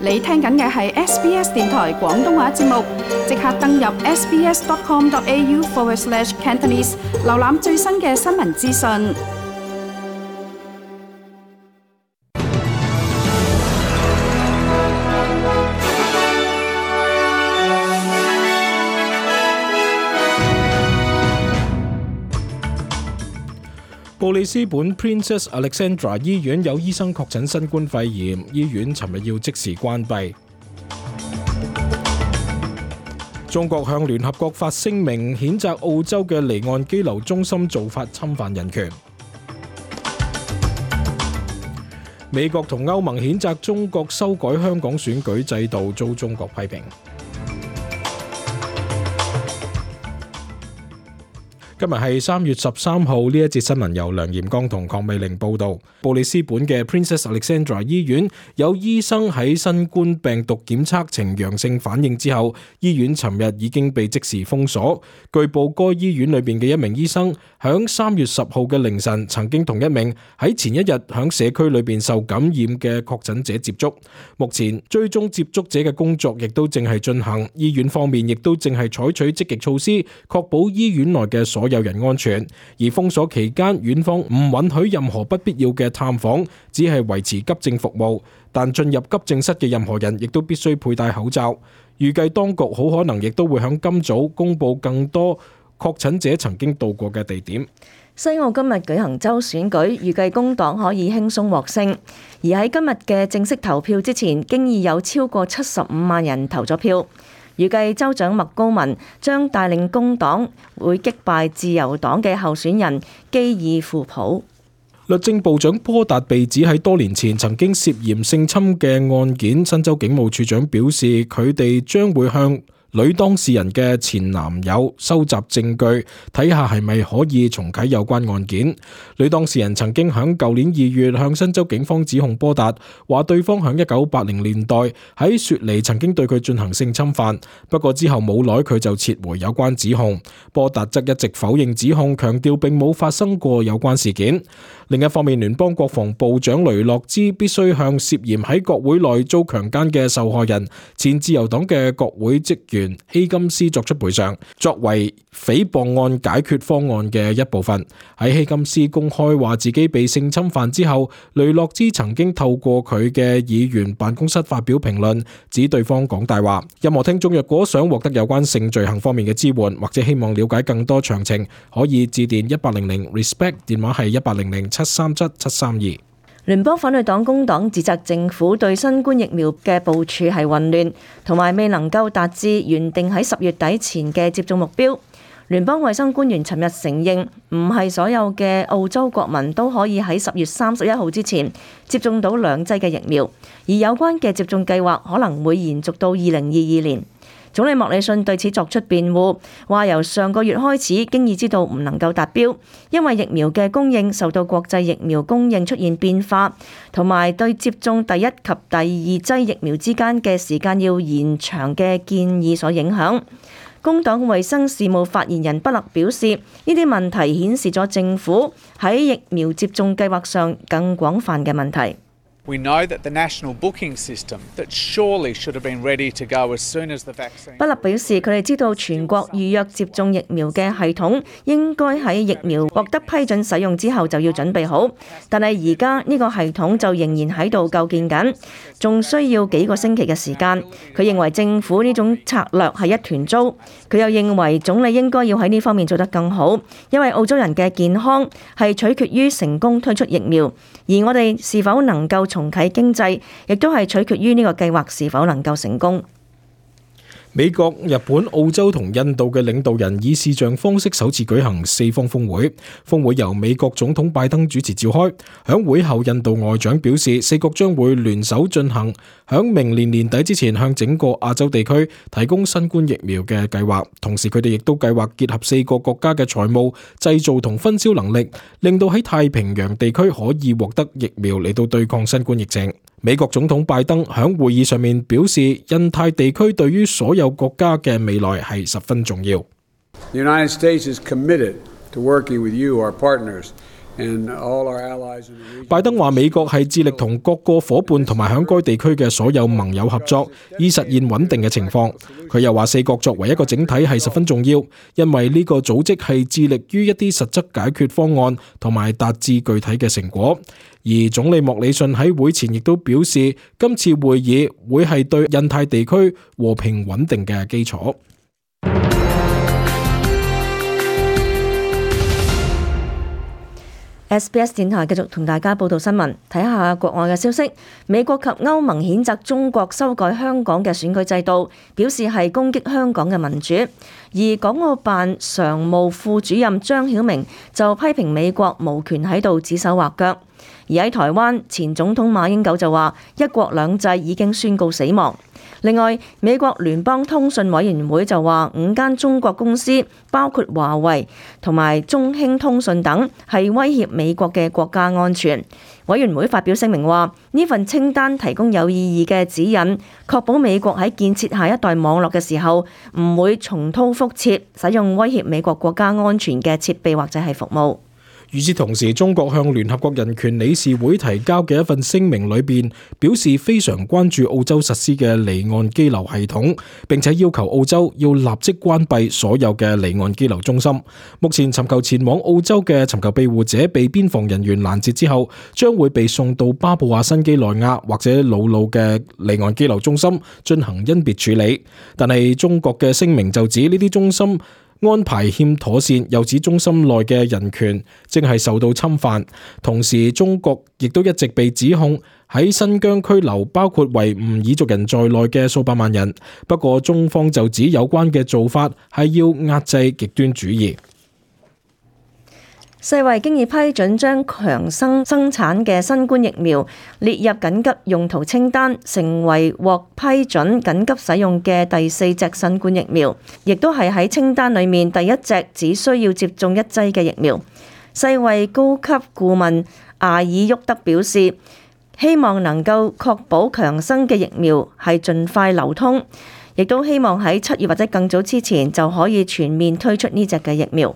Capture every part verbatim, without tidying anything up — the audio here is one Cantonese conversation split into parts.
你聽緊嘅係 S B S 電台廣東話節目，即刻登入 sbs.com.au forward slash Cantonese， 瀏覽最新嘅新聞資訊。布里斯本 Princess Alexandra 醫院有醫生確診新冠肺炎，醫院尋日要即時關閉。中國向聯合國發聲明，譴責澳洲嘅離岸羈留中心做法侵犯人權。美國同歐盟譴責中國修改香港選舉制度，遭中國批評。今日係三月十三號，呢一節新聞由梁炎剛同鄺美玲報道。布里斯本嘅 Princess Alexandra 醫院有醫生喺新冠病毒檢測呈陽性反應之後，醫院尋日已經被即時封鎖。據報該醫院裏邊嘅一名醫生響三月十號嘅凌晨曾經同一名喺前一日響社區裏邊受感染嘅確診者接觸。目前追蹤接觸者嘅工作亦都正係進行，醫院方面亦都正係採取積極措施，確保醫院內嘅所有人安全。而封鎖期間，院方唔允許任何不必要嘅探訪，只係維持急症服務。但進入急症室嘅任何人亦都必須佩戴口罩。預計當局好可能亦都會響今早公布更多確診者曾經到過嘅地點。西澳今日舉行州選舉，預計工黨可以輕鬆獲勝。而喺今日嘅正式投票之前，經已有超過七十五萬人投咗票。預計州長麥高文將帶領工黨會擊敗自由黨嘅候選人基爾富普。律政部長波達被指喺多年前曾經涉嫌性侵嘅案件，新州警務處長表示，佢哋將會向女當事人嘅前男友收集證據，睇下係咪可以重啟有關案件。女當事人曾經響舊年二月向新州警方指控波達，話對方響一九八零年代喺雪梨曾經對佢進行性侵犯，不過之後冇耐佢就撤回有關指控。波達則一直否認指控，強調並冇發生過有關事件。另一方面，聯邦國防部長雷諾茲必須向涉嫌喺國會內遭強姦嘅受害人前自由黨嘅國會職員希金斯作出賠償，作為誹謗案解決方案嘅一部分。喺希金斯公開話自己被性侵犯之後，雷諾茲曾經透過佢嘅議員辦公室發表評論，指對方講大話。任何聽眾若果想獲得有關性罪行方面嘅支援，或者希望了解更多詳情，可以致電一八零零 respect， 電話係一八零零七三七七三二。聯邦反對黨工黨指責政府對新冠疫苗嘅部署係混亂，同埋未能夠達至原定喺十月底前嘅接種目標。聯邦衛生官員尋日承認，唔係所有嘅澳洲國民都可以喺十月三十一號之前接種到兩劑嘅疫苗，而有關嘅接種計劃可能會延續到二零二二年。總理莫里遜對此作出辯護，話由上個月開始經已知道唔能夠達標，因為疫苗嘅供應受到國際疫苗供應出現變化，同埋對接種第一及第二劑疫苗之間嘅時間要延長嘅建議所影響。工黨衛生事務發言人布勒表示，呢啲問題顯示咗政府喺疫苗接種計劃上更廣泛嘅問題。We know that the national booking system that surely should have been ready to go as soon as the vaccine. 布勒表示，佢哋知道全國預約接種疫苗嘅系統應該喺疫苗獲得批准使用之後就要準備好，但係而家呢個系統就仍然喺度構建緊，仲需要幾個星期嘅時間。佢認為政府呢種策略係一團糟。佢又認為總理應該要喺呢方面做得更好，因為澳洲人嘅健康係取決於成功推出疫苗，而我哋是否能夠重啟經濟，亦都係取決於呢個計劃是否能夠成功。美國、日本、澳洲同印度嘅領導人以視像方式首次舉行四方峰會，峰會由美國總統拜登主持召開。響會後，印度外長表示，四國將會聯手進行響明年年底之前向整個亞洲地區提供新冠疫苗嘅計劃。同時，佢哋亦都計劃結合四個國家嘅財務、製造同分銷能力，令到喺太平洋地區可以獲得疫苗嚟到對抗新冠疫情。美國總統拜登響會議上面表示，印太地區對於所有國家嘅未來係十分重要。The United States is committed to working with you, our partners, 拜登話美國係致力同各個夥伴同埋響該地區嘅所有盟友合作，以實現穩定嘅情況。佢又話四國作為一個整體係十分重要，因為呢個組織係致力於一啲實質解決方案同埋達至具體嘅成果。而總理莫里遜喺會前亦都表示，今次會議會係對印太地區和平穩定嘅基礎。S B S 電台繼續同大家報道新聞，睇下國外嘅消息。美國及歐盟譴責中國修改香港嘅選舉制度，表示係攻擊香港嘅民主。而港澳辦常務副主任張曉明就批評美國無權喺度指手畫腳。而喺台灣，前總統馬英九就話一國兩制已經宣告死亡。另外，美國聯邦通訊委員會就話五間中國公司，包括華為同埋中興通訊等，係威脅美國嘅國家安全。委員會發表聲明話，呢份清單提供有意義嘅指引，確保美國喺建設下一代網絡嘅時候，唔會重蹈覆轍，使用威脅美國國家安全嘅設備或者係服務。與此同時，中國向聯合國人權理事會提交嘅一份聲明裏邊表示非常關注澳洲實施嘅離岸羈留系統，並且要求澳洲要立即關閉所有嘅離岸羈留中心。目前尋求前往澳洲嘅尋求庇護者被邊防人員攔截之後，將會被送到巴布亞新幾內亞或者瑙魯嘅離岸羈留中心進行甄別處理。但係中國嘅聲明就指呢啲中心安排欠妥善，又指中心內嘅人權正係受到侵犯。同時，中國亦都一直被指控喺新疆拘留包括維吾爾族人在內嘅數百萬人。不過，中方就指有關嘅做法係要壓制極端主義。世衛經已批准將強生生產嘅新冠疫苗列入緊急用途清單，成為獲批准緊急使用嘅第四隻新冠疫苗，亦都係喺清單裡面第一隻只需要接種一劑嘅疫苗。世衛高級顧問阿爾沃德表示，希望能夠確保強生嘅疫苗係盡快流通，亦都希望喺七月或者更早之前就可以全面推出呢隻嘅疫苗。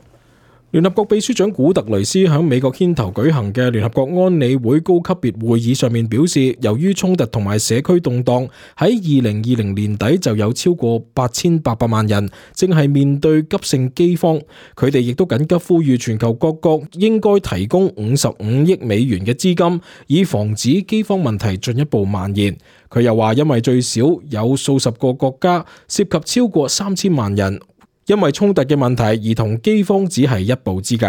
聯合國秘書長古特雷斯喺美國牽頭舉行嘅聯合國安理會高級別會議上面表示，由於衝突同埋社區動盪，喺二零二零年底就有超過八千八百萬人正係面對急性饑荒。佢哋亦都緊急呼籲全球各國應該提供五十五億美元嘅資金，以防止饑荒問題進一步蔓延。佢又話，因為最少有數十個國家涉及超過三千萬人，因為衝突嘅問題而同饑荒只係一步之隔。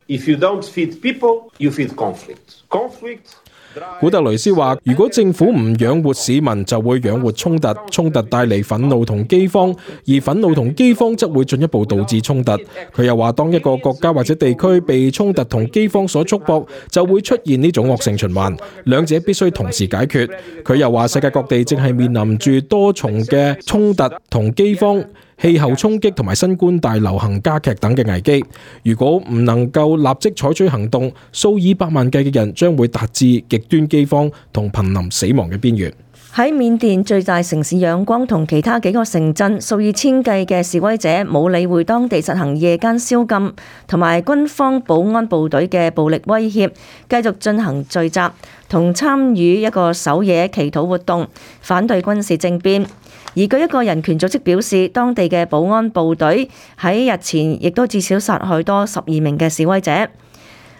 If you don't feed people, you feed conflict. Conflict. 古特雷斯話，如果政府唔養活市民，就會養活衝突，衝突帶嚟憤怒同饑荒，而憤怒同饑荒則會進一步導致衝突。佢又話，當一個國家或者地區被衝突同饑荒所束縛，就會出現呢種惡性循環，兩者必須同時解決。佢又話，世界各地正係面臨住多重嘅衝突同饑荒、氣候衝擊同埋新冠大流行加劇等嘅危機。如果唔能夠立即採取行動，數以百萬計嘅人將會達至極端饑荒同瀕臨死亡嘅邊緣。喺緬甸最大城市仰光同其他幾個城鎮，數以千計嘅示威者冇理會當地實行夜間宵禁同埋軍方保安部隊嘅暴力威脅，繼續進行聚集同參與一個守夜祈禱活動，反對軍事政變。而據一個人權組織表示，當地嘅保安部隊喺日前亦都至少殺害多十二名嘅示威者。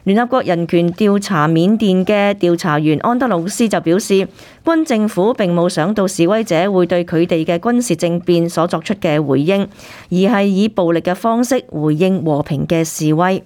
聯合國人權調查緬甸嘅調查員安德魯斯就表示，軍政府並冇想到示威者會對佢哋嘅軍事政變所作出嘅回應，而係以暴力嘅方式回應和平嘅示威。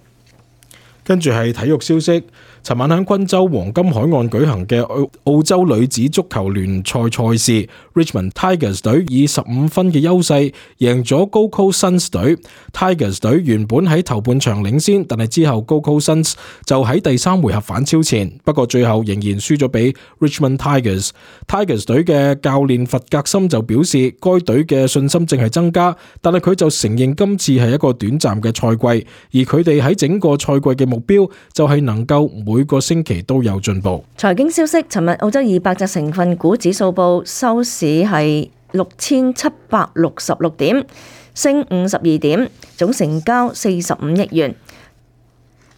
跟住係體育消息。尋晚喺昆州黃金海岸舉行嘅澳澳洲女子足球聯賽賽事 ，Richmond Tigers 隊以十五分嘅優勢贏咗 Gold Coast Suns 隊。Tigers 隊原本喺頭半場領先，但係之後 Gold Coast Suns 就喺第三回合反超前，不過最後仍然輸咗俾 Richmond Tigers。Tigers 隊嘅教練弗格森就表示，該隊嘅信心正係增加，但係佢就承認今次係一個短暫嘅賽季，而佢哋喺整個賽季嘅目標就係能夠每個星期都有進步。財經消息，尋日澳洲二百隻成分股指數報收市係六千七百六十六點，升五十二點，總成交四十五億元。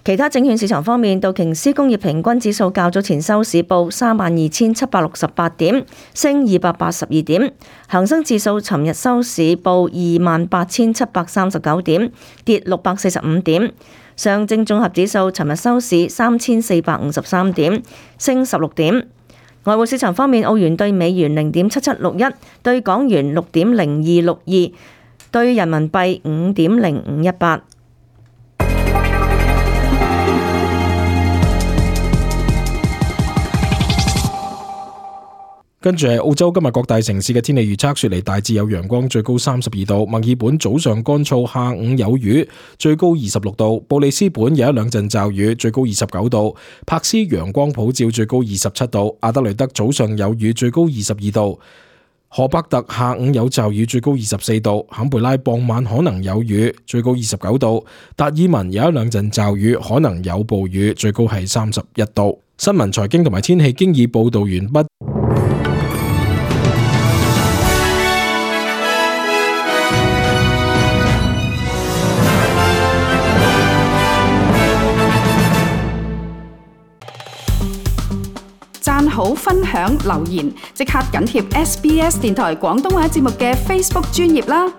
其他證券市場方面，道瓊斯工業平均指數較早前收市報三萬二千七百六十八點，升二百八十二點；恒生指數尋日收市報二萬八千七百三十九點，跌六百四十五點；上證綜合指數尋日收市三千四百五十三點，升十六點。外匯市場方面，澳元對美元零點七七六一，對港元六點零二六二，對人民幣五點零五一八。跟住係澳洲今日各大城市嘅天氣預測，雪梨大致有陽光，最高三十二度；墨爾本早上乾燥，下午有雨，最高二十六度；布里斯本有一兩陣驟雨，最高二十九度；柏斯陽光普照，最高二十七度；阿德雷德早上有雨，最高二十二度；荷伯特下午有驟雨，最高二十四度；坎培拉傍晚可能有雨，最高二十九度；達爾文有一兩陣驟雨，可能有暴雨，最高係三十一度。新聞、財經同埋天氣經已報道完畢。讚好、分享、留言，即刻緊貼 S B S 電台廣東話節目嘅 Facebook 專頁啦！